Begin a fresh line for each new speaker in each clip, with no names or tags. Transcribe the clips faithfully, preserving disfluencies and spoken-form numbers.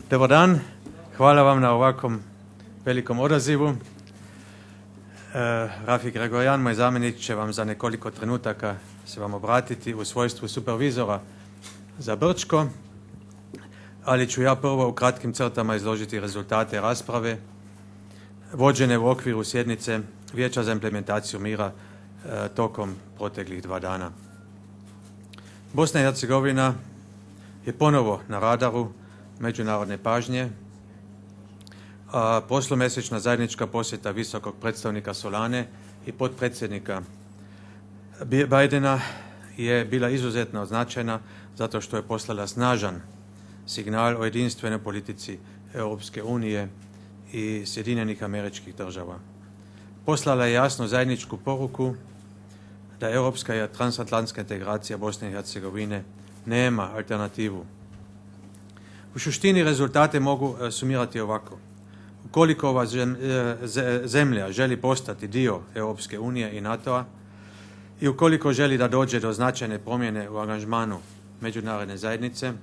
Dobar dan, hvala vam na ovakvom velikom odazivu. E, Rafi Gregorian, moj zamjenik, će vam za nekoliko trenutaka se vam obratiti u svojstvu supervizora za Brčko, ali ću ja prvo u kratkim crtama izložiti rezultate rasprave vođene u okviru sjednice Vijeća za implementaciju mira e, tokom proteklih dva dana. Bosna i Hercegovina je ponovo na radaru međunarodne pažnje, a prošlomjesečna zajednička posjeta visokog predstavnika Solane i potpredsjednika Bidena je bila izuzetno značajna zato što je poslala snažan signal o jedinstvenoj politici Europske unije i Sjedinjenih Američkih Država. Poslala je jasnu zajedničku poruku da europska i transatlantska integracija Bosne i Hercegovine nema alternativu. U suštini rezultate mogu sumirati ovako. Ukoliko ova zemlja želi postati dio Europske unije i NATO-a i ukoliko želi da dođe do značajne promjene u angažmanu međunarodne zajednice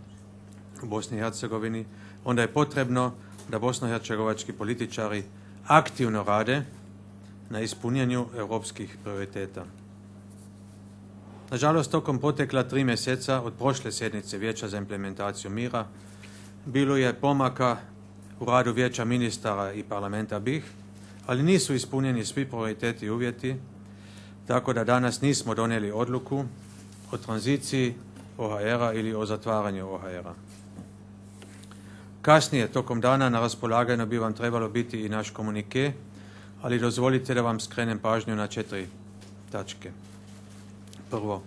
u Bosni i Hercegovini, onda je potrebno da bosnohercegovački političari aktivno rade na ispunjenju europskih prioriteta. Nažalost, tokom protekla tri mjeseca od prošle sjednice Vijeća za implementaciju mira bilo je pomaka u radu Vijeća ministara i parlamenta B i H, ali nisu ispunjeni svi prioriteti i uvjeti, tako da danas nismo donijeli odluku o tranziciji O H R-a ili o zatvaranju O H R-a. Kasnije, tokom dana, na raspolaganju bi vam trebalo biti i naš komunike, ali dozvolite da vam skrenem pažnju na četiri tačke. Prvo,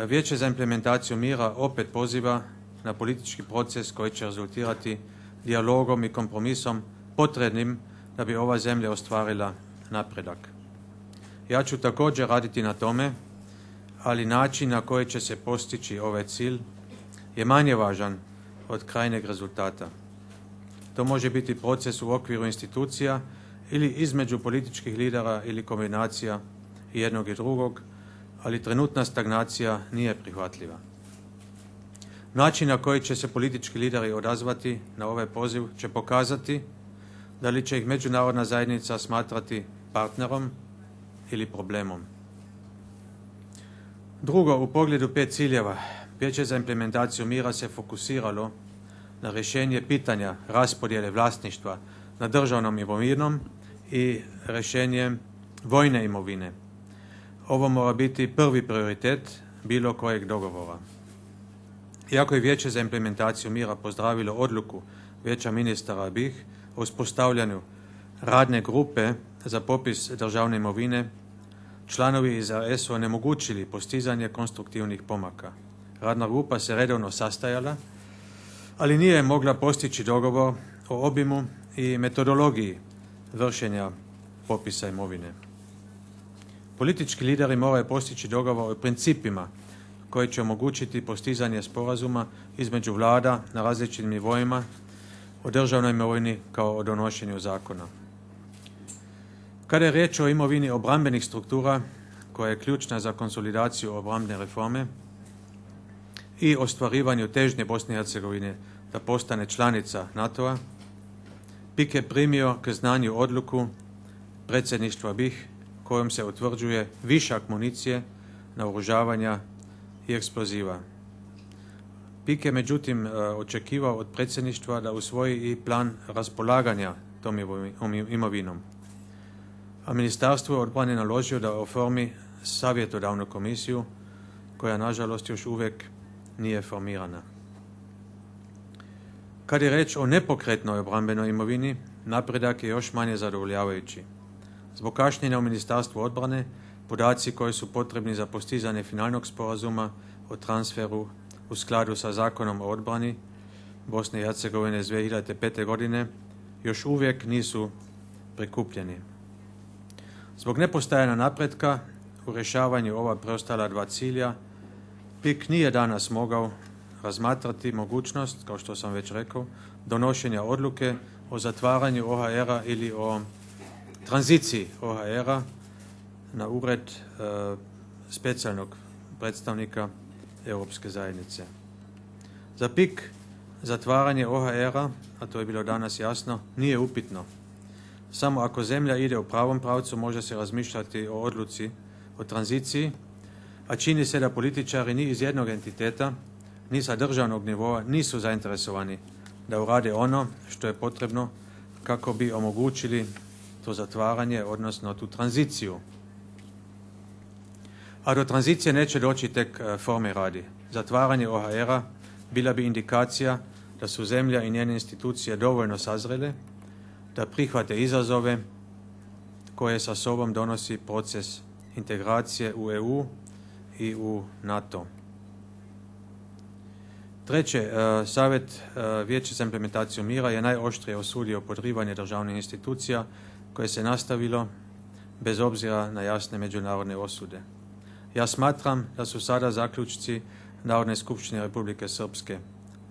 Vijeće za implementaciju mira opet poziva na politički proces koji će rezultirati dijalogom i kompromisom potrebnim da bi ova zemlja ostvarila napredak. Ja ću također raditi na tome, ali način na koji će se postići ovaj cilj je manje važan od krajnjeg rezultata. To može biti proces u okviru institucija ili između političkih lidera ili kombinacija jednog i drugog, ali trenutna stagnacija nije prihvatljiva. Način na koji će se politički lideri odazvati na ovaj poziv će pokazati da li će ih međunarodna zajednica smatrati partnerom ili problemom. Drugo, u pogledu pet ciljeva, Vijeće za implementaciju mira se fokusiralo na rješenje pitanja raspodjele vlasništva nad državnom imovinom i rješenje vojne imovine. Ovo mora biti prvi prioritet bilo kojeg dogovora. Iako je Vijeće za implementaciju mira pozdravilo odluku Vijeća ministara B i H o uspostavljanju radne grupe za popis državne imovine, članovi iz R S su onemogućili postizanje konstruktivnih pomaka. Radna grupa se redovno sastajala, ali nije mogla postići dogovor o obimu i metodologiji vršenja popisa imovine. Politički lideri moraju postići dogovor o principima koji će omogućiti postizanje sporazuma između vlada na različitim nivoima o državnoj imovini kao o donošenju zakona. Kada je riječ o imovini obrambenih struktura, koja je ključna za konsolidaciju obrambene reforme i ostvarivanju težnje Bosne i Hercegovine da postane članica NATO-a, P I K je primio k znanju odluku predsjedništva B i H kojom se utvrđuje višak municije, naoružavanja i eksploziva. P I K je međutim očekivao od predsjedništva da usvoji i plan raspolaganja tom imovinom. A Ministarstvo odbrane naložio da oformi savjetodavnu komisiju koja nažalost još uvijek nije formirana. Kad je reč o nepokretnoj obrambenoj imovini, napredak je još manje zadovoljavajući. Zbog kašnjenja u Ministarstvu odbrane, podaci koji su potrebni za postizanje finalnog sporazuma o transferu u skladu sa Zakonom o odbrani Bosne i Hercegovine iz dvije hiljade pete. godine još uvijek nisu prikupljeni. Zbog nepostajanja napretka u rješavanju ova preostala dva cilja, P I K nije danas mogao razmatrati mogućnost, kao što sam već rekao, donošenja odluke o zatvaranju O H R-a ili o tranziciji O H R-a na ured e, specijalnog predstavnika Europske zajednice. Za P I K Zatvaranje O H R-a, a to je bilo danas jasno, nije upitno. Samo ako zemlja ide u pravom pravcu može se razmišljati o odluci, o tranziciji, a čini se da političari ni iz jednog entiteta, ni sa državnog nivoa nisu zainteresovani da urade ono što je potrebno kako bi omogućili to zatvaranje, odnosno tu tranziciju. A do tranzicije neće doći tek forme radi. Zatvaranje O H R-a bila bi indikacija da su zemlja i njene institucije dovoljno sazrele, da prihvate izazove koje sa sobom donosi proces integracije u E U i u NATO. Treće, Savjet Vijeća za implementaciju mira je najoštrije osudio podrivanje državnih institucija koje se nastavilo bez obzira na jasne međunarodne osude. Ja smatram da su sada zaključci Narodne skupštine Republike Srpske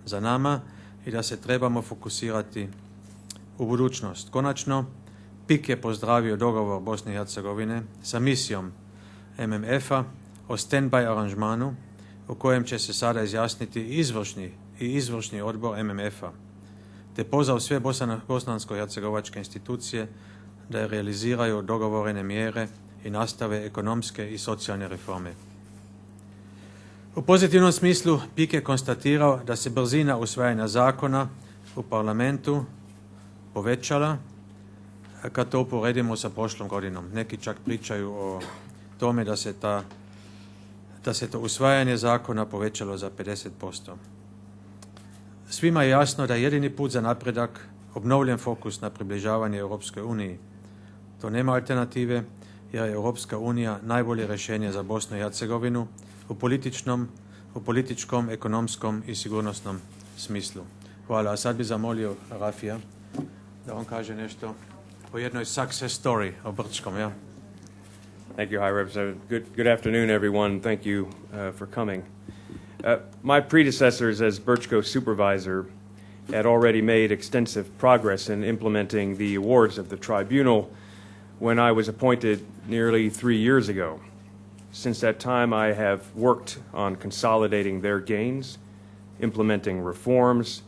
za nama i da se trebamo fokusirati u budućnost. Konačno, P I K je pozdravio dogovor Bosne i Hercegovine sa misijom M M F-a o stand-by aranžmanu u kojem će se sada izjasniti izvršni i izvršni odbor M M F-a, te pozvao sve bosansko-hercegovačke institucije da realiziraju dogovorene mjere i nastave ekonomske i socijalne reforme. U pozitivnom smislu P I K je konstatirao da se brzina usvajanja zakona u parlamentu povećala kad to uporedimo sa prošlom godinom. Neki čak pričaju o tome da se, ta, da se to usvajanje zakona povećalo za pedeset posto. Svima je jasno da je jedini put za napredak obnovljen fokus na približavanje Europskoj uniji. To nema alternative jer je Europska unija najbolje rješenje za Bosnu i Hercegovinu u političnom, u političkom, ekonomskom i sigurnosnom smislu. Hvala. A sad bi zamolio Rafija da on kaže nešto o jednoj success story o Brčkom. Ja?
Thank you, High Representative. Good, good afternoon, everyone. Thank you uh, for coming. Uh, my predecessors as Brčko supervisor had already made extensive progress in implementing the awards of the tribunal when I was appointed nearly three years ago. Since that time, I have worked on consolidating their gains, implementing reforms,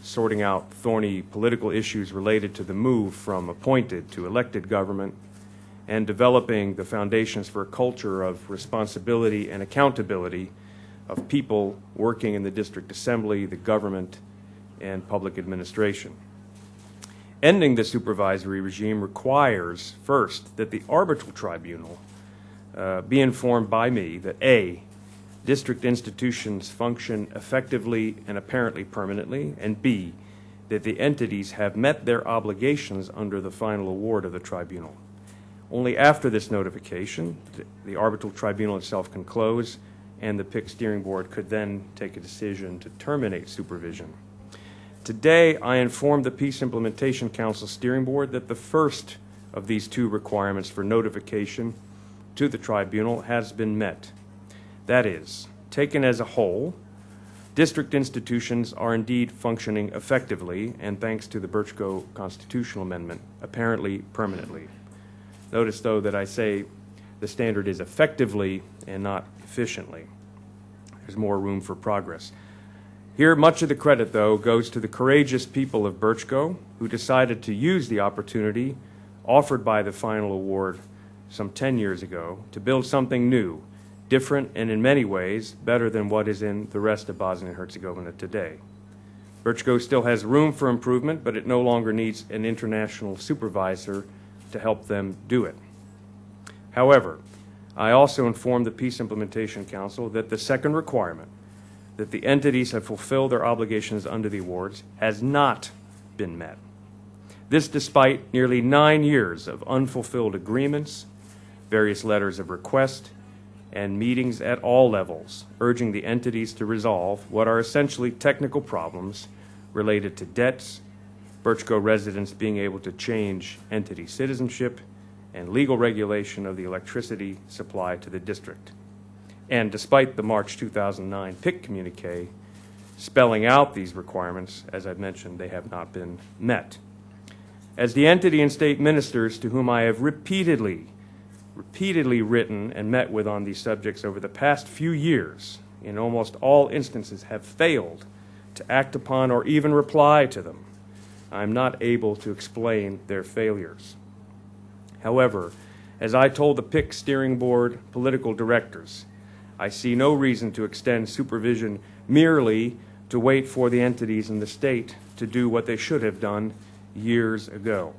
sorting out thorny political issues related to the move from appointed to elected government, and developing the foundations for a culture of responsibility and accountability of people working in the district assembly, the government, and public administration. Ending the supervisory regime requires, first, that the arbitral tribunal uh, be informed by me that A, district institutions function effectively and apparently permanently, and B, that the entities have met their obligations under the final award of the tribunal. Only after this notification, the, the arbitral tribunal itself can close, and the P I C steering board could then take a decision to terminate supervision. Today, I informed the Peace Implementation Council Steering Board that the first of these two requirements for notification to the tribunal has been met. That is, taken as a whole, district institutions are indeed functioning effectively, and thanks to the Brčko constitutional amendment, apparently permanently. Notice, though, that I say the standard is effectively and not efficiently. There's more room for progress. Here, much of the credit, though, goes to the courageous people of Brčko who decided to use the opportunity offered by the final award some ten years ago to build something new, different, and in many ways better than what is in the rest of Bosnia and Herzegovina today. Brčko still has room for improvement, but it no longer needs an international supervisor to help them do it. However, I also informed the Peace Implementation Council that the second requirement, that the entities have fulfilled their obligations under the awards, has not been met. This despite nearly nine years of unfulfilled agreements, various letters of request, and meetings at all levels, urging the entities to resolve what are essentially technical problems related to debts, Brčko residents being able to change entity citizenship, and legal regulation of the electricity supply to the district. And despite the March two thousand nine P I C communique spelling out these requirements, as I've mentioned, they have not been met. As the entity and state ministers to whom I have repeatedly, repeatedly written and met with on these subjects over the past few years, in almost all instances have failed to act upon, or even reply to them. I'm not able to explain their failures. However, as I told the P I C Steering Board political directors, I see no reason to extend supervision merely to wait for the entities in the state to do what they should have done years ago.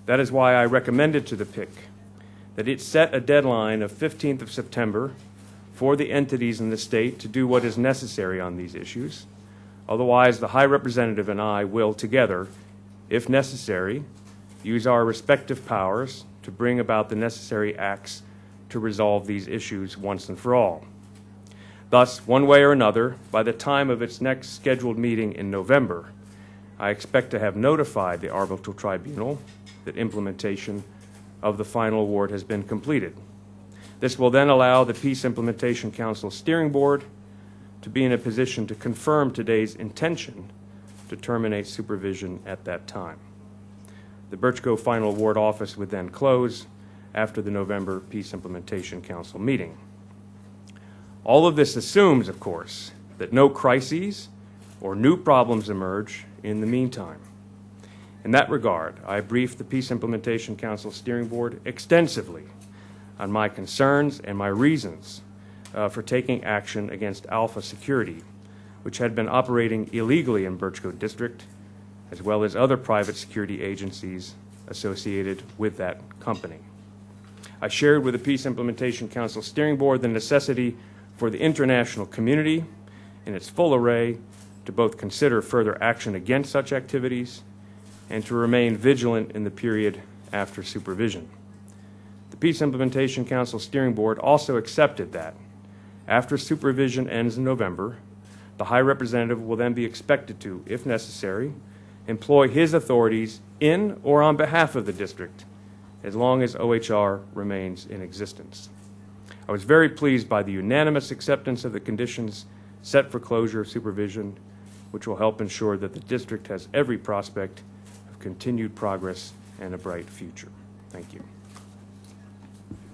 That is why I recommended to the P I C that it set a deadline of fifteenth of September for the entities in the state to do what is necessary on these issues. Otherwise, the High Representative and I will together, if necessary, use our respective powers to bring about the necessary acts to resolve these issues once and for all. Thus, one way or another, by the time of its next scheduled meeting in November, I expect to have notified the Arbitral Tribunal that implementation of the final award has been completed. This will then allow the Peace Implementation Council Steering Board to be in a position to confirm today's intention to terminate supervision at that time. The Birch Cove Final Award Office would then close after the November Peace Implementation Council meeting. All of this assumes, of course, that no crises or new problems emerge in the meantime. In that regard, I briefed the Peace Implementation Council Steering Board extensively on my concerns and my reasons uh, for taking action against Alpha Security, which had been operating illegally in Birch Cove District, as well as other private security agencies associated with that company. I shared with the Peace Implementation Council Steering Board the necessity for the international community in its full array to both consider further action against such activities and to remain vigilant in the period after supervision. The Peace Implementation Council Steering Board also accepted that, after supervision ends in November, the High Representative will then be expected to, if necessary, employ his authorities in or on behalf of the district as long as O H R remains in existence. I was very pleased by the unanimous acceptance of the conditions set for closure of supervision, which will help ensure that the district has every prospect of continued progress and a bright future. Thank you.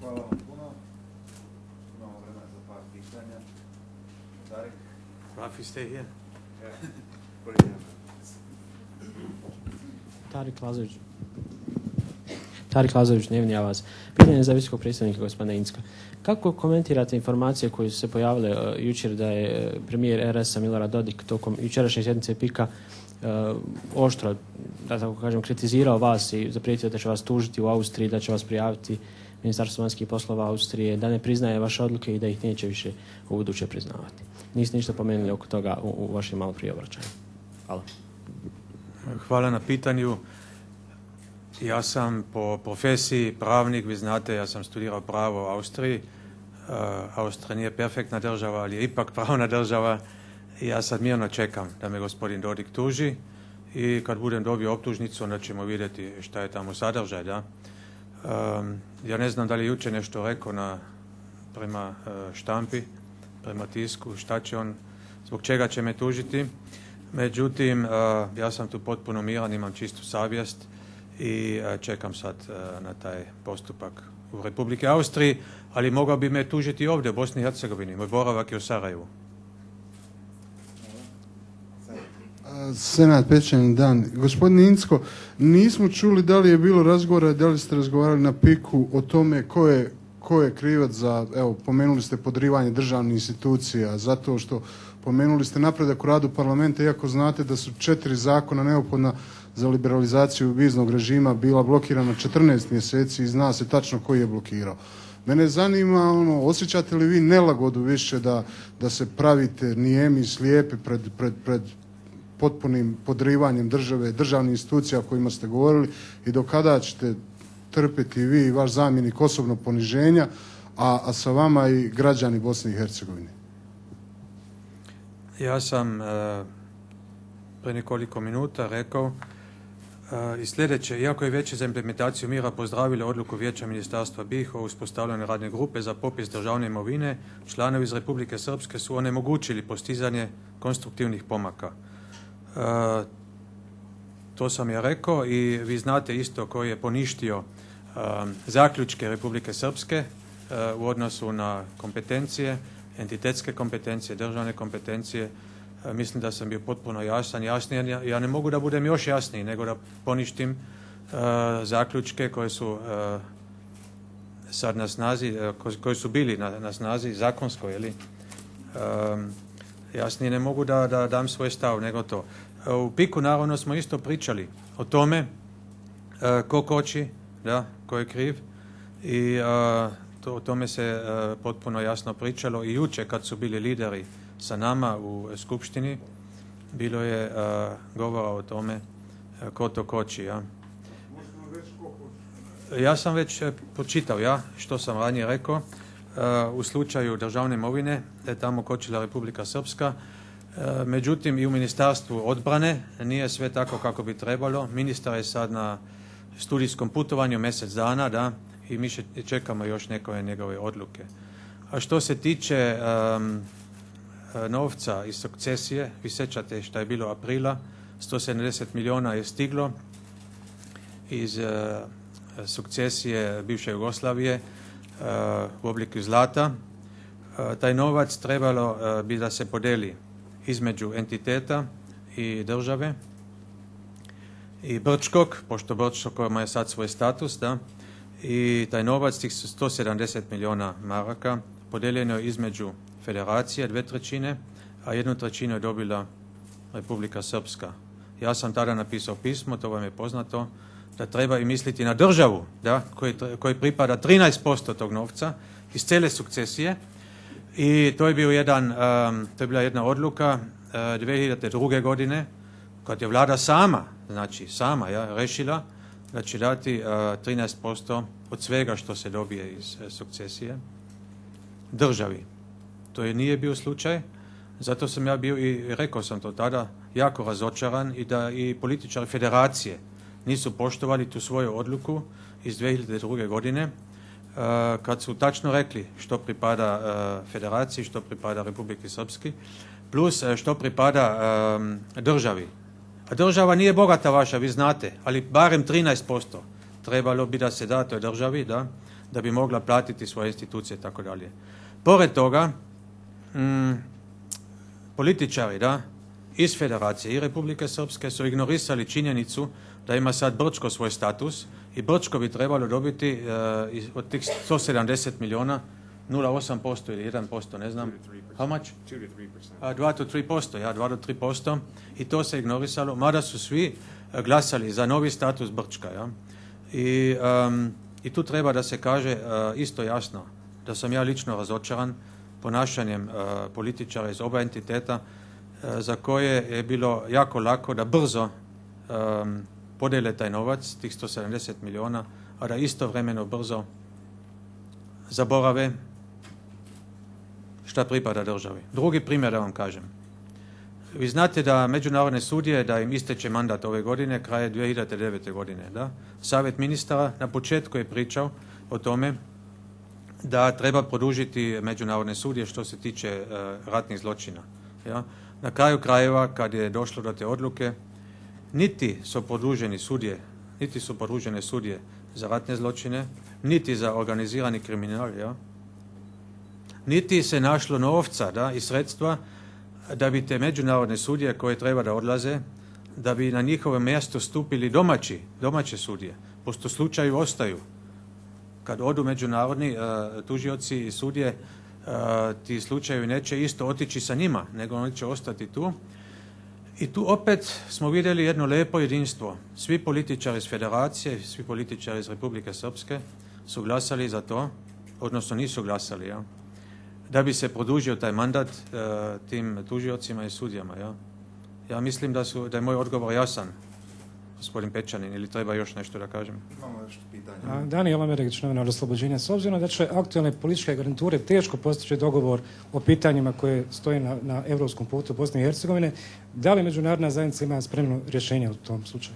Hvala vam puno. Imamo vremena za par pitanja. Tarik?
Rafi, stay here.
Tarik Lazović. Tarik Lazović, Dnevni Avaz. Pitanje za visokog predstavnika gospodina Incka. Kako komentirate informacije koje su se pojavile uh, jučer da je premijer R S-a Milorad Dodik tokom jučerašnje sjednice P I C-a uh, oštro, da tako kažem, kritizirao vas i zaprijetio da će vas tužiti u Austriji, da će vas prijaviti Ministarstvo vanjskih poslova Austrije, da ne priznaje vaše odluke i da ih neće više u buduće priznavati. Niste ništa pomenuli oko toga u, u vašem malo prije obraćanju. Hvala.
Hvala na pitanju. Ja sam po profesiji pravnik, vi znate, ja sam studirao pravo u Austriji. Uh, Austrija nije perfektna država, ali je ipak pravna država. I ja sad mirno čekam da me gospodin Dodik tuži i kad budem dobio optužnicu, onda ćemo vidjeti šta je tamo sadržaj. Da? Um, ja ne znam da li je jučer nešto rekao na, prema uh, štampi, prema tisku, šta će on, zbog čega će me tužiti. Međutim, uh, ja sam tu potpuno miran, imam čistu savjest i uh, čekam sad uh, na taj postupak u Republike Austriji, ali mogao bi me tužiti ovdje u Bosni i Hercegovini. Moj boravak je u Sarajevu.
Senat, pečeni dan. Gospodin Incko, nismo čuli da li je bilo razgovora, da li ste razgovarali na piku o tome ko je, ko je krivac za, evo, pomenuli ste podrivanje državnih institucija, zato što pomenuli ste napredak u radu parlamenta, iako znate da su četiri zakona neophodna za liberalizaciju viznog režima bila blokirana četrnaest mjeseci i zna se tačno koji je blokirao. Mene zanima, ono, osjećate li vi nelagodu više da, da se pravite nijemi, slijepi pred, pred, pred potpunim podrivanjem države, državnih institucija o kojima ste govorili i do kada ćete trpiti vi i vaš zamjenik osobno poniženja, a, a sa vama i građani Bosne i Hercegovine?
Ja sam uh, pre nekoliko minuta rekao uh, i sljedeće. Iako je Vijeće za implementaciju mira pozdravilo odluku Vijeća ministarstva B i H o uspostavljanju radne grupe za popis državne imovine, članovi iz Republike Srpske su onemogućili postizanje konstruktivnih pomaka. Uh, to sam ja rekao i vi znate isto koji je poništio um, zaključke Republike Srpske uh, u odnosu na kompetencije, entitetske kompetencije, državne kompetencije. Uh, Mislim da sam bio potpuno jasan, jasniji. Ja, ja ne mogu da budem još jasniji, nego da poništim uh, zaključke koje su uh, sad na snazi, uh, koji su bili na, na snazi zakonsko, je li? Um, jasnije ne mogu da, da dam svoj stav, nego to. Uh, u Piku naravno smo isto pričali o tome uh, ko koči, da, ko je kriv, i uh, to, o tome se uh, potpuno jasno pričalo i jučer kad su bili lideri sa nama u skupštini, bilo je uh, govora o tome uh, ko to koči. Ja. Ja sam već uh, pročitao, ja, što sam ranije rekao, uh, u slučaju državne imovine, da je tamo kočila Republika Srpska. Uh, međutim, i u Ministarstvu odbrane nije sve tako kako bi trebalo. Ministar je sad na studijskom putovanju mjesec dana, da, i mi čekamo još neke njegove odluke. A što se tiče um, novca iz sukcesije, vi sjećate što je bilo aprila, sto sedamdeset milijuna je stiglo iz uh, sukcesije bivše Jugoslavije uh, u obliku zlata. Uh, taj novac trebalo uh, bi da se podeli između entiteta i države i Brčkog, pošto Brčkog ima je sad svoj status, da, i taj novac, tih sto sedamdeset milijuna maraka, podeljeno je između federacije, dve trećine, a jednu trećinu je dobila Republika Srpska. Ja sam tada napisao pismo, to vam je poznato, da treba i misliti na državu, da, koji, koji pripada trinaest posto tog novca iz cijele sukcesije, i to je, bio jedan, um, to je bila jedna odluka uh, dvije hiljade druge godine, kad je vlada sama, znači sama, ja, rešila da će dati uh, trinaest posto od svega što se dobije iz uh, sukcesije državi. To je nije bio slučaj, zato sam ja bio i rekao sam to tada jako razočaran, i da i političari federacije nisu poštovali tu svoju odluku iz dvije hiljade druge godine, uh, kad su tačno rekli što pripada uh, federaciji, što pripada Republiki Srpski, plus uh, što pripada um, državi. A država nije bogata vaša, vi znate, ali barem trinaest posto trebalo bi da se da toj državi, da, da bi mogla platiti svoje institucije i tako dalje. Pored toga, mm, političari, da, iz Federacije i Republike Srpske su ignorisali činjenicu da ima sad Brčko svoj status i Brčko bi trebalo dobiti uh, od tih sto sedamdeset milijuna nula zarez osam posto ili jedan posto, ne znam. How much? dva do tri posto, ja, dva do tri posto. I to se ignorisalo, mada su svi glasali za novi status Brčka. Ja. I, um, I tu treba da se kaže uh, isto jasno da sam ja lično razočaran ponašanjem uh, političara iz oba entiteta, uh, za koje je bilo jako lako da brzo um, podele taj novac, tih sto sedamdeset milijuna, a da istovremeno brzo zaborave šta pripada državi. Drugi primjer da vam kažem. Vi znate da međunarodne sudije, da im isteče mandat ove godine, kraje dvije hiljade devete godine. Da? Savjet ministara na početku je pričao o tome da treba produžiti međunarodne sudije što se tiče uh, ratnih zločina. Ja? Na kraju krajeva, kad je došlo do te odluke, niti su produženi sudije, niti su produžene sudije za ratne zločine, niti za organizirani kriminal, ja? Niti se našlo novca, da, i sredstva da bi te međunarodne sudije koje treba da odlaze, da bi na njihovo mjesto stupili domaći, domaće sudije. Pošto slučaju ostaju. Kad odu međunarodni uh, tužioci i sudije, uh, ti slučajevi neće isto otići sa njima, nego oni će ostati tu. I tu opet smo vidjeli jedno lepo jedinstvo. Svi političari iz Federacije, svi političari iz Republike Srpske su glasali za to, odnosno nisu glasali, ja, da bi se produžio taj mandat uh, tim tužiocima i sudijama. Ja, ja mislim da, su, da je moj odgovor jasan, gospodin Pečanin, ili treba još nešto da kažem?
Imamo još pitanje.
Danijel Amerić, novinar Oslobođenja. S obzirom da će aktualne političke garniture teško postići dogovor o pitanjima koje stoje na, na evropskom putu Bosne i Hercegovine, da li međunarodna zajednica ima spremno rješenje u tom slučaju?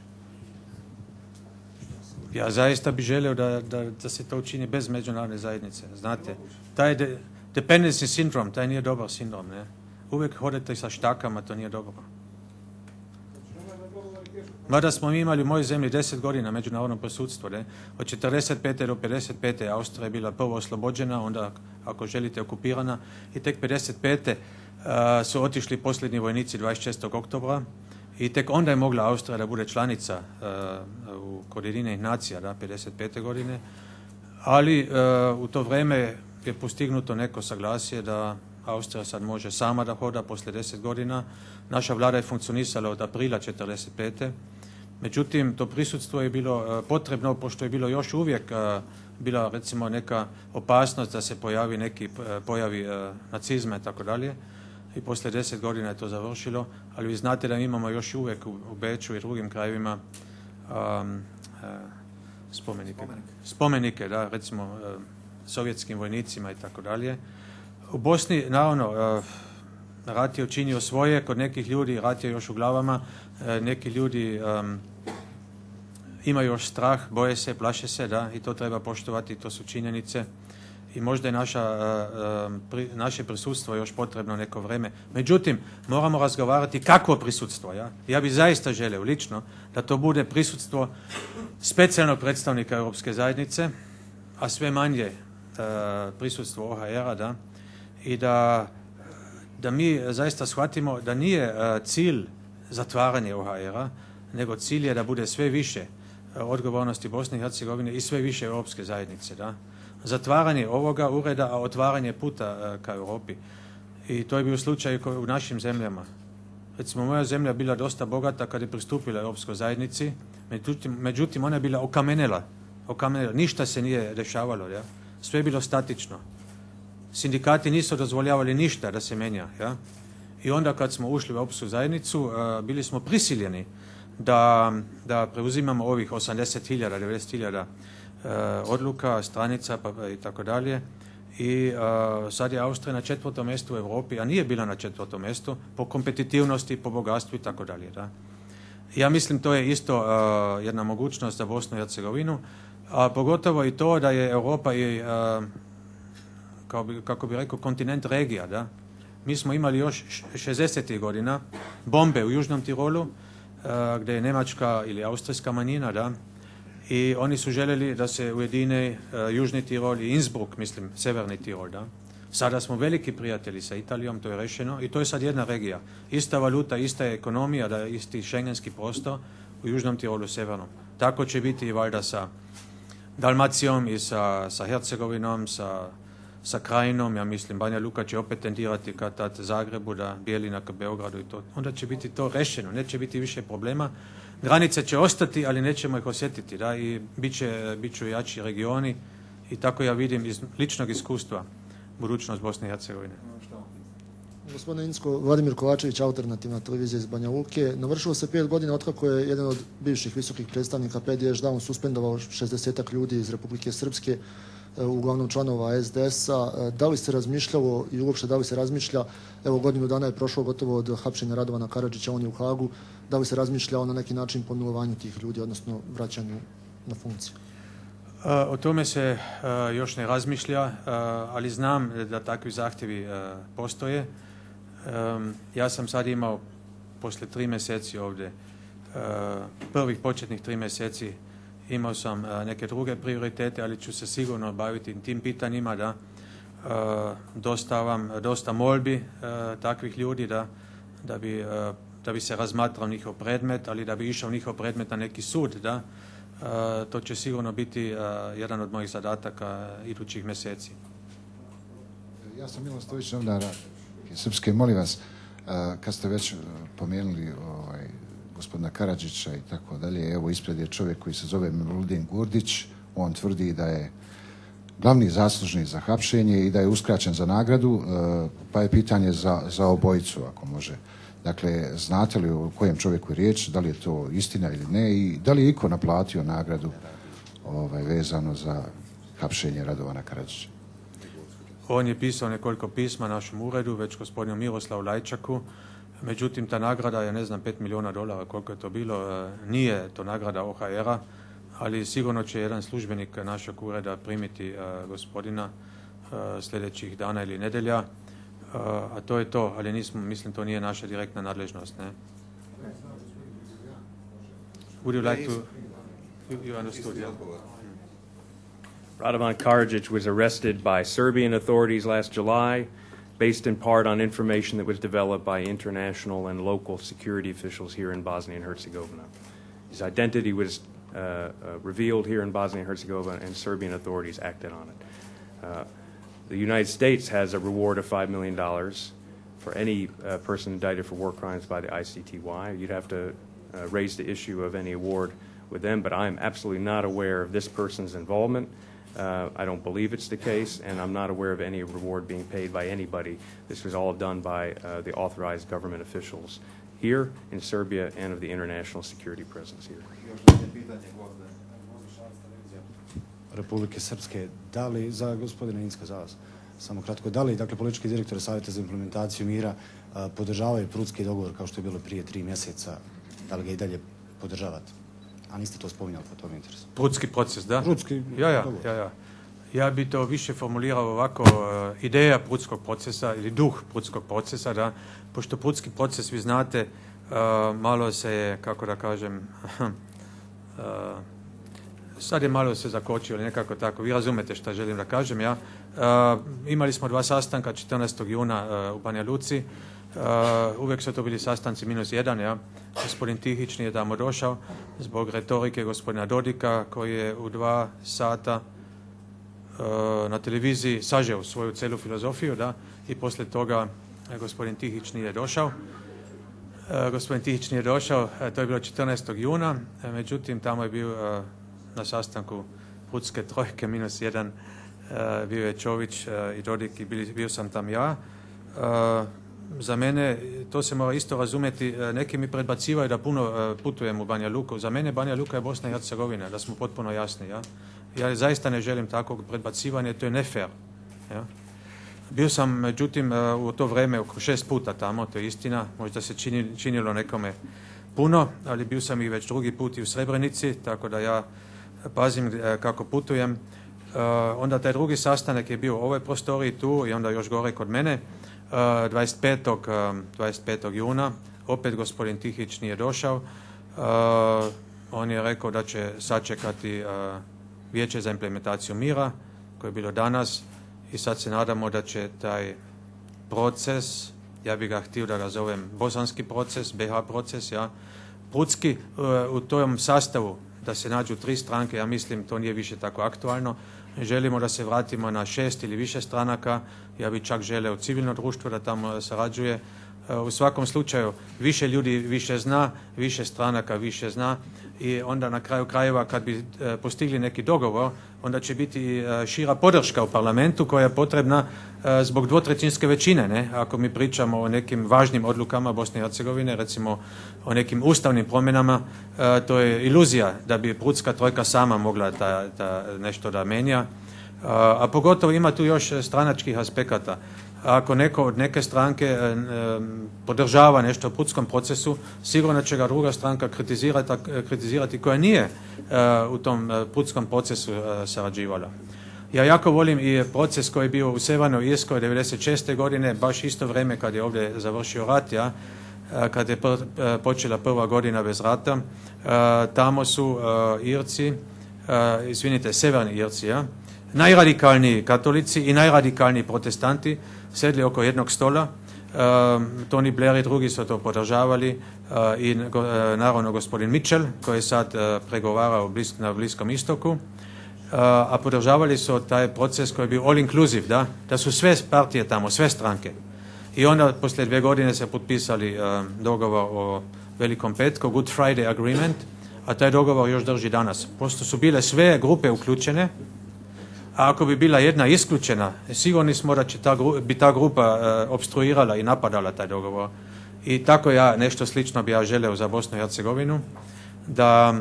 Ja zaista bih želio da, da, da se to učini bez međunarodne zajednice. Znate, taj de, dependency sindrom, taj nije dobar sindrom. Ne? Uvijek hodete sa štakama, to nije dobro. Mada smo mi imali u mojoj zemlji deset godina međunarodno presudstvo. Ne? Od četrdeset pete do pedeset pete Austrija je bila prvo oslobođena, onda ako želite okupirana, i tek pedeset pete su otišli posljednji vojnici dvadeset šestog oktobra i tek onda je mogla Austrija da bude članica uh, u kod Ujedinjenih nacija, da, pedeset pete godine, ali uh, u to vrijeme je postignuto neko saglasje da Austrija sad može sama da hoda poslije deset godina. Naša vlada je funkcionisala od aprila četrdeset pete Međutim, to prisutstvo je bilo uh, potrebno, pošto je bilo još uvijek uh, bila recimo neka opasnost da se pojavi neki uh, pojavi uh, nacizma i tako dalje. I poslije deset godina je to završilo, ali vi znate da imamo još uvijek u, u Beču i drugim krajevima um, uh, spomenike. spomenike. Spomenike, da, recimo uh, sovjetskim vojnicima i tako dalje. U Bosni, naravno, uh, rat je učinio svoje, kod nekih ljudi rat je još u glavama, uh, neki ljudi um, imaju još strah, boje se, plaše se, da, i to treba poštovati, to su činjenice. I možda je naša, uh, pri, naše prisutstvo još potrebno neko vrijeme. Međutim, moramo razgovarati kakvo prisutstvo. Ja, ja bih zaista želio lično da to bude prisutstvo specijalnog predstavnika Europske zajednice, a sve manje uh, prisutstvo O H R-a, da, i da, da mi zaista shvatimo da nije uh, cilj zatvaranje O H R-a, nego cilj je da bude sve više uh, odgovornosti Bosne i Hercegovine i sve više Europske zajednice, da. Zatvaranje ovoga ureda, a otvaranje puta uh, ka Europi. I to je bio slučaj u našim zemljama. Recimo, moja zemlja je bila dosta bogata kad je pristupila Europskoj zajednici, međutim, međutim ona je bila okamenela. okamenela. Ništa se nije dešavalo. Ja? Sve je bilo statično. Sindikati nisu dozvoljavali ništa da se menja. Ja? I onda kad smo ušli u Europsku zajednicu, uh, bili smo prisiljeni da, da preuzimamo ovih osamdeset hiljada, devedeset hiljada odluka, stranica pa, i tako dalje. I uh, sad je Austrija na četvrtom mjestu u Europi, a nije bila na četvrtom mjestu po kompetitivnosti, po bogatstvu i tako dalje. Da. Ja mislim to je isto uh, jedna mogućnost za Bosnu i Hercegovinu, a pogotovo i to da je Europa i, uh, kao bi, kako bi rekao, kontinent regija. Da. Mi smo imali još šezdesetih godina bombe u Južnom Tirolu, uh, gdje je njemačka ili austrijska manjina, da, i oni su željeli da se ujedine uh, Južni Tirol i Innsbruck, mislim, Severni Tirol. Da? Sada smo veliki prijatelji sa Italijom, to je rešeno i to je sad jedna regija. Ista valuta, ista je ekonomija, da je isti šengenski prostor u Južnom Tirolu, Severnom. Tako će biti i valjda sa Dalmacijom i sa, sa Hercegovinom, sa, sa Krajinom. Ja mislim, Banja Luka će opet tendirati ka tad Zagrebu, da Bijelina ka Beogradu i to. Onda će biti to rešeno, neće biti više problema. Granice će ostati, ali nećemo ih osjetiti, da, i bit će, bit će jači regioni i tako ja vidim iz ličnog iskustva budućnost Bosne i Hercegovine.
Gospodine Incko, Vladimir Kovačević, Alternativna televizija iz Banja Luke. Navršilo se pet godina otkako je jedan od bivših visokih predstavnika P D Š Down suspendovao šezdesetak ljudi iz Republike Srpske, uglavnom članova S D S-a. Da li se razmišljalo i uopšte da li se razmišlja, evo godinu dana je prošlo gotovo od hapšenja Radovana Karadžića, on je u Hagu, da li se razmišljao na neki način pomilovanju tih ljudi, odnosno vraćanju na funkciju?
O tome se uh, još ne razmišlja, uh, ali znam da takvi zahtjevi uh, postoje. Um, ja sam sad imao poslije tri mjeseci ovdje, uh, prvih početnih tri mjeseci, imao sam uh, neke druge prioritete, ali ću se sigurno baviti tim pitanjima, da uh, dostavam dosta molbi uh, takvih ljudi, da, da, bi, uh, da bi se razmatrao njihov predmet, ali da bi išao njihov predmet na neki sud, da. Uh, to će sigurno biti uh, jedan od mojih zadataka idućih mjeseci.
Ja sam Milan Stojić, novinar Srpske. Molim vas, uh, kad ste već pomenuli ovaj, gospodina Karadžića i tako dalje, evo ispred je čovjek koji se zove Miludin Gurdić, on tvrdi da je glavni zaslužni za hapšenje i da je uskraćen za nagradu, uh, pa je pitanje za, za obojicu, ako može. Dakle, znate li o kojem čovjeku je riječ, da li je to istina ili ne i da li je iko naplatio nagradu ovaj, vezano za hapšenje Radovana Karadžića?
On je pisao nekoliko pisma našem uredu, već gospodinu Miroslavu Lajčaku. Međutim, ta nagrada je, ne znam, pet milijuna dolara, koliko je to bilo. Nije to nagrada O H R-a, ali sigurno će jedan službenik našeg ureda primiti uh, gospodina uh, sljedećih dana ili nedelja. Uh, a to je to, ali nismo, mislim, to nije naša direktna nadležnost, ne? Would you like to... You, you understood, yeah?
Radovan Karadžić was arrested by Serbian authorities last July based in part on information that was developed by international and local security officials here in Bosnia and Herzegovina. His identity was uh, uh, revealed here in Bosnia and Herzegovina, and Serbian authorities acted on it. Uh, the United States has a reward of five million dollars for any uh, person indicted for war crimes by the I C T Y. You'd have to uh, raise the issue of any award with them, but I am absolutely not aware of this person's involvement. Uh, I don't believe it's the case, and I'm not aware of any reward being paid by anybody. This was all done by uh, the authorized government officials here in Serbia and of the international security presence here.
Republike Srpske, da li za gospodina Incka, za vas, samo kratko, da li dakle, politički direktor Savjeta za implementaciju mira a, podržavaju Prudski dogovor kao što je bilo prije tri mjeseca, da li ga i dalje podržavate? A niste to spominjali po tom interesu.
Prudski proces, da?
Prudski
ja, ja,
dogovor.
ja, ja. Ja bi to više formulirao ovako, uh, ideja Prudskog procesa ili duh Prudskog procesa, da, pošto Prudski proces, vi znate, uh, malo se je, kako da kažem, uh, sad je malo se zakočio, ili nekako tako, vi razumete što želim da kažem, ja. Uh, imali smo dva sastanka četrnaestog juna uh, u Banja Luci, uh, uvijek su to bili sastanci minus jedan, ja. Gospodin Tihić nije tamo došao zbog retorike gospodina Dodika, koji je u dva sata uh, na televiziji sažeo svoju celu filozofiju, da, i poslije toga uh, gospodin Tihić nije došao. Uh, gospodin Tihić nije došao, uh, to je bilo četrnaestog juna, uh, međutim tamo je bio uh, na sastanku Prudske trojke minus jedan, uh, bio je Čović uh, i Dodik i bili, bio sam tam ja. Uh, za mene, to se mora isto razumjeti, uh, neki mi predbacivaju da puno uh, putujem u Banja Luku. Za mene Banja Luka je Bosna i Hercegovina, da smo potpuno jasni. Ja, ja zaista ne želim takvog predbacivanja, to je nefair. Ja. Bio sam, međutim, uh, u to vrijeme oko šest puta tamo, to je istina, možda se čini, činilo nekome puno, ali bio sam i već drugi put i u Srebrenici, tako da ja pazim uh, kako putujem. Uh, onda taj drugi sastanak je bio u ovoj prostoriji tu i onda još gore kod mene, uh, dvadeset petog, dvadeset petog juna, opet gospodin Tihić nije došao. Uh, on je rekao da će sačekati uh, vijeće za implementaciju mira, koje je bilo danas, i sad se nadamo da će taj proces, ja bih ga htio da ga zovem bosanski proces, B H proces, ja, Prudski, uh, u tom sastavu da se nađu tri stranke, ja mislim to nije više tako aktualno. Želimo da se vratimo na šest ili više stranaka, ja bih čak želeo civilno društvo da tamo sarađuje. U svakom slučaju više ljudi više zna, više stranaka više zna i onda na kraju krajeva kad bi postigli neki dogovor, onda će biti šira podrška u parlamentu koja je potrebna zbog dvotrećinske većine. Ne? Ako mi pričamo o nekim važnim odlukama Bosne i Hercegovine, recimo o nekim ustavnim promjenama, to je iluzija da bi Prudska trojka sama mogla ta, ta nešto da menja. A pogotovo ima tu još stranačkih aspekata. Ako neko od neke stranke e, e, podržava nešto u Prudskom procesu, sigurno će ga druga stranka kritizirati, kritizirati koja nije e, u tom e, Prudskom procesu e, sarađivala. Ja jako volim i proces koji je bio u Sjevernoj Irskoj devedeset šeste godine, baš isto vrijeme kad je ovdje završio rat, ja, e, kad je pr, e, počela prva godina bez rata. E, tamo su e, Irci, e, izvinite, Sjeverni Irci, ja, najradikalniji katolici i najradikalniji protestanti sedli oko jednog stola. Uh, Tony Blair i drugi su to podržavali uh, i uh, naravno gospodin Mitchell koji je sad uh, pregovarao blisk, na Bliskom istoku, uh, a podržavali su taj proces koji je bio all inclusive, da, da su sve partije tamo, sve stranke. I onda poslije dvije godine se potpisali uh, dogovor o Velikom petku, Good Friday Agreement, a taj dogovor još drži danas. Pošto su bile sve grupe uključene, a ako bi bila jedna isključena, sigurni smo da će ta, bi ta grupa uh, obstruirala i napadala taj dogovor. I tako ja, nešto slično bi ja želeo za Bosnu i Hercegovinu, da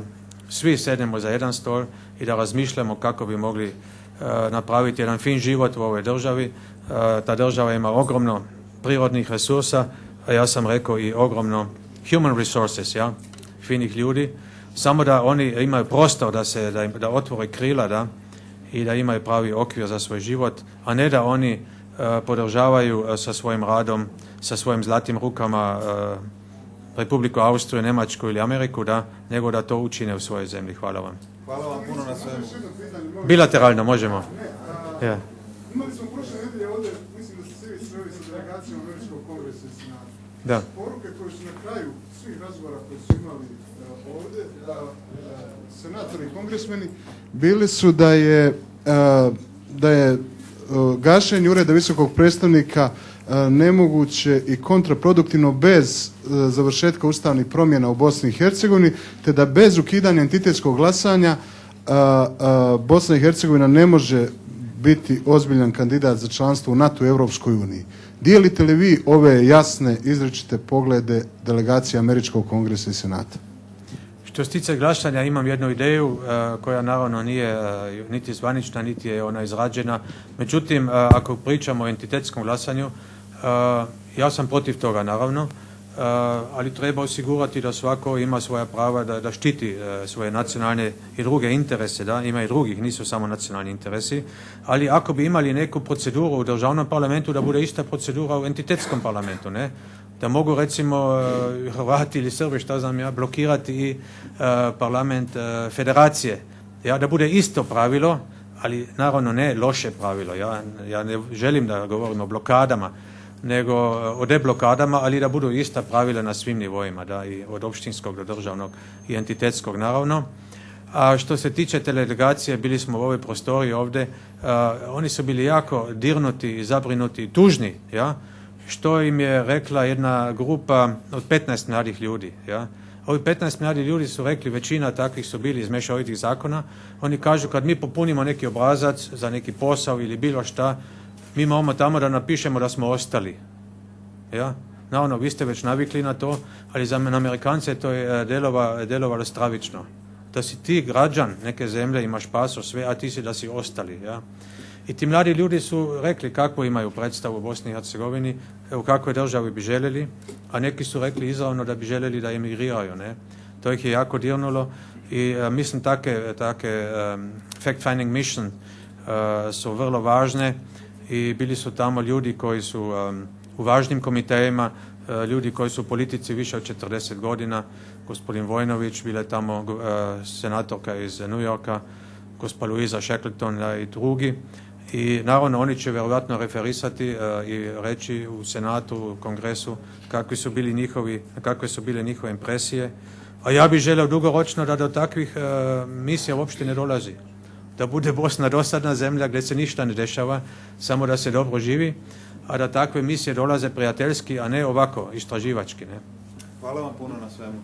svi sednemo za jedan stol i da razmišljamo kako bi mogli uh, napraviti jedan fin život u ovoj državi. Uh, ta država ima ogromno prirodnih resursa, a ja sam rekao i ogromno human resources, ja, finih ljudi, samo da oni imaju prostor da se, da, da otvore krila, da, i da imaju pravi okvir za svoj život, a ne da oni uh, podržavaju uh, sa svojim radom, sa svojim zlatim rukama uh, Republiku Austriju, Njemačku ili Ameriku, da, nego da to učine u svojoj zemlji. Hvala vam.
Hvala vam puno na svemu.
Bilateralno možemo.
Ja. Imali smo prošle nedelje ovdje, mislim da ste svi svi
Da.
Poruke koje su na kraju svih razgovora koje su imali uh, ovdje, uh, senatori i kongresmeni, bili su da je, uh, da je uh, gašenje ureda visokog predstavnika uh, nemoguće i kontraproduktivno bez uh, završetka ustavnih promjena u Bosni i Hercegovini, te da bez ukidanja entitetskog glasanja uh, uh, Bosna i Hercegovina ne može biti ozbiljan kandidat za članstvo u NATO i Europskoj uniji. Dijelite li vi ove jasne, izričite poglede delegacije Američkog kongresa i Senata?
Što se tiče glasanja, imam jednu ideju uh, koja naravno nije uh, niti zvanična, niti je ona izrađena. Međutim, uh, ako pričamo o entitetskom glasanju, uh, ja sam protiv toga naravno, uh, ali treba osigurati da svako ima svoja prava da, da štiti uh, svoje nacionalne i druge interese, da ima i drugih, nisu samo nacionalni interesi, ali ako bi imali neku proceduru u državnom parlamentu, da bude ista procedura u entitetskom parlamentu, ne? Da mogu recimo Hrvati ili Srbi, šta znam ja, blokirati i uh, parlament uh, federacije. Ja, da bude isto pravilo, ali naravno ne loše pravilo. Ja, ja ne želim da govorim o blokadama, nego o deblokadama, ali da budu ista pravila na svim nivoima, da, i od opštinskog do državnog i entitetskog naravno. A što se tiče delegacije, bili smo u ovoj prostoriji ovdje, uh, oni su bili jako dirnuti, zabrinuti, tužni, ja, što im je rekla jedna grupa od petnaest mladih ljudi. Ja. Ovi petnaest mladih ljudi su rekli, većina takvih su bili iz mješovitih zakona, oni kažu kad mi popunimo neki obrazac za neki posao ili bilo šta, mi imamo tamo da napišemo da smo ostali. Ja. Naravno, vi ste već navikli na to, ali za Amerikance to je delova, delovalo stravično. Da si ti građan neke zemlje, imaš pasoš, sve, a ti si da si ostali. Ja. I ti mladi ljudi su rekli kako imaju predstavu u Bosni i Hercegovini, u kakvoj državi bi željeli, a neki su rekli izravno da bi željeli da emigriraju. Ne? To ih je jako dirnulo i uh, mislim take, take um, fact-finding mission uh, su vrlo važne i bili su tamo ljudi koji su um, u važnim komitejima, uh, ljudi koji su u politici više od četrdeset godina, gospodin Vojnović, bila je tamo uh, senatorka iz New Yorka, gospa Louisa Shackleton i drugi. I naravno oni će vjerojatno referisati uh, i reći u Senatu, u Kongresu kakvi su bili njihovi, kakve su bile njihove impresije. A ja bih želio dugoročno da do takvih uh, misija uopšte ne dolazi. Da bude Bosna dosadna zemlja gdje se ništa ne dešava, samo da se dobro živi, a da takve misije dolaze prijateljski, a ne ovako istraživački. Ne?
Hvala vam puno na svemu.